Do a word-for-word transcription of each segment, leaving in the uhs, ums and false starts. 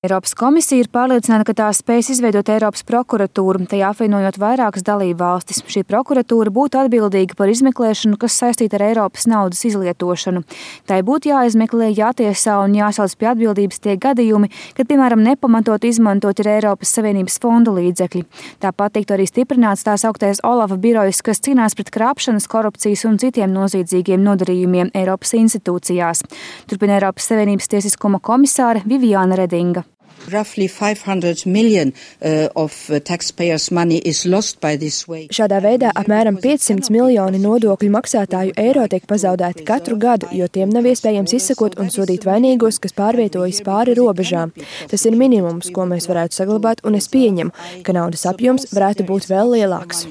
Eiropas komisija ir pārliecināta, ka tā spēs izveidot Eiropas prokuratūru, tajā apvienojot vairākas dalību valstis. Šī prokuratūra būtu atbildīga par izmeklēšanu, kas saistīta ar Eiropas naudas izlietošanu. Tai būtu jāizmeklē, jātiesā un jāsauc pie atbildības tie gadījumi, kad, piemēram, nepamatot izmantot ir Eiropas Savienības fondu līdzekļi. Tāpat tiktu arī stiprināts tās augtais Olafa birojs, kas cīnās pret krāpšanas, korupcijas un citiem noziedzīgiem nodarījumiem Eiropas institūcijās. Turpina Eiropas Savienības tiesiskuma komisāre Viviane Redinga. Roughly five hundred million uh, of taxpayers' money is lost by this way. Šādā veidā apmēram piecsimt miljoni nodokļu maksātāju eiro tiek pazaudēti katru gadu, jo tiem nav iespējams izsekot un sodīt vainīgos, kas pārvietojas pāri robežām. Tas ir minimums, ko mēs varētu saglabāt, un es pieņemu, ka naudas apjoms varētu būt vēl lielāks.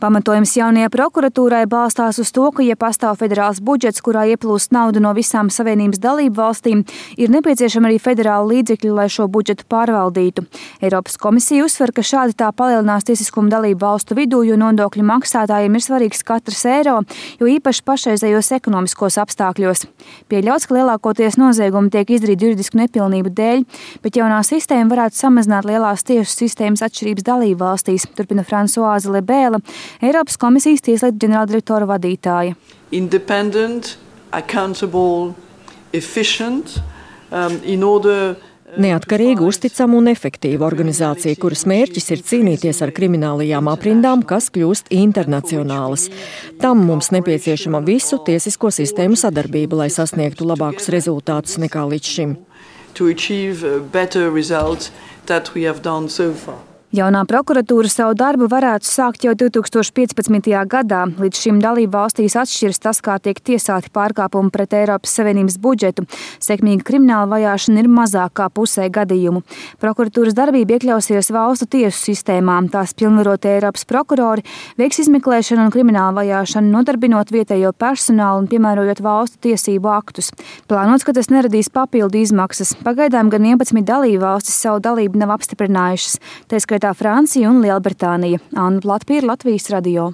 Pamatojums jaunajai prokuratūrai balstās uz to, ka, ja pastāv federāls budžets, kurā ieplūst naudu no visām Savienības dalību valstīm, ir nepieciešama arī federāla līdzekļi, lai šo budžetu pārvaldītu. Eiropas komisija uzsver, ka šādi tā palielinās tiesiskumu dalību valstu vidū, jo nodokļu maksātājiem ir svarīgs katrs eiro, jo īpaši pašreizējos ekonomiskos apstākļos. Pieļauts, ka lielākoties noziegumi tiek izdarīti juridisku nepilnību dēļ, bet jaunā sistēma varētu samazināt lielās tiesu sistēmas atšķirības dalību valstīs, turpina Fransuāze Lebēla, Eiropas komisijas tieslietu ģenerāldirektora vadītāja. Independent, accountable, efficient, um, in order Neatkarīga, uzticama un efektīva organizācija, kuras mērķis ir cīnīties ar kriminālajām aprindām, kas kļūst internacionālas. Tam mums nepieciešama visu tiesisko sistēmu sadarbība, lai sasniegtu labākus rezultātus nekā līdz šim. To achieve better results that we have done so far. Jaunā prokuratūra savu darbu varētu sākt jau divi tūkstoši piecpadsmitajā gadā. Līdz šim dalību valstīs atšķiras tas, kā tiek tiesāti pārkāpumi pret Eiropas Savienības budžetu. Sekmīga krimināla vajāšana ir mazāk kā pusē gadījumu. Prokuratūras darbība iekļausies valstu tiesu sistēmā. Tās pilnvarotie Eiropas prokurori veiks izmeklēšanu un kriminālu vajāšanu, nodarbinot vietējo personālu un piemērojot valstu tiesību aktus. Plānots, ka tas neradīs papildu izmaksas. Pagaidām gan vienpadsmit dalību valstis savu dalību nav apstiprinājušas. Tā skaitā Francija un Lielbritānija. Anna Platpīra, Latvijas radio.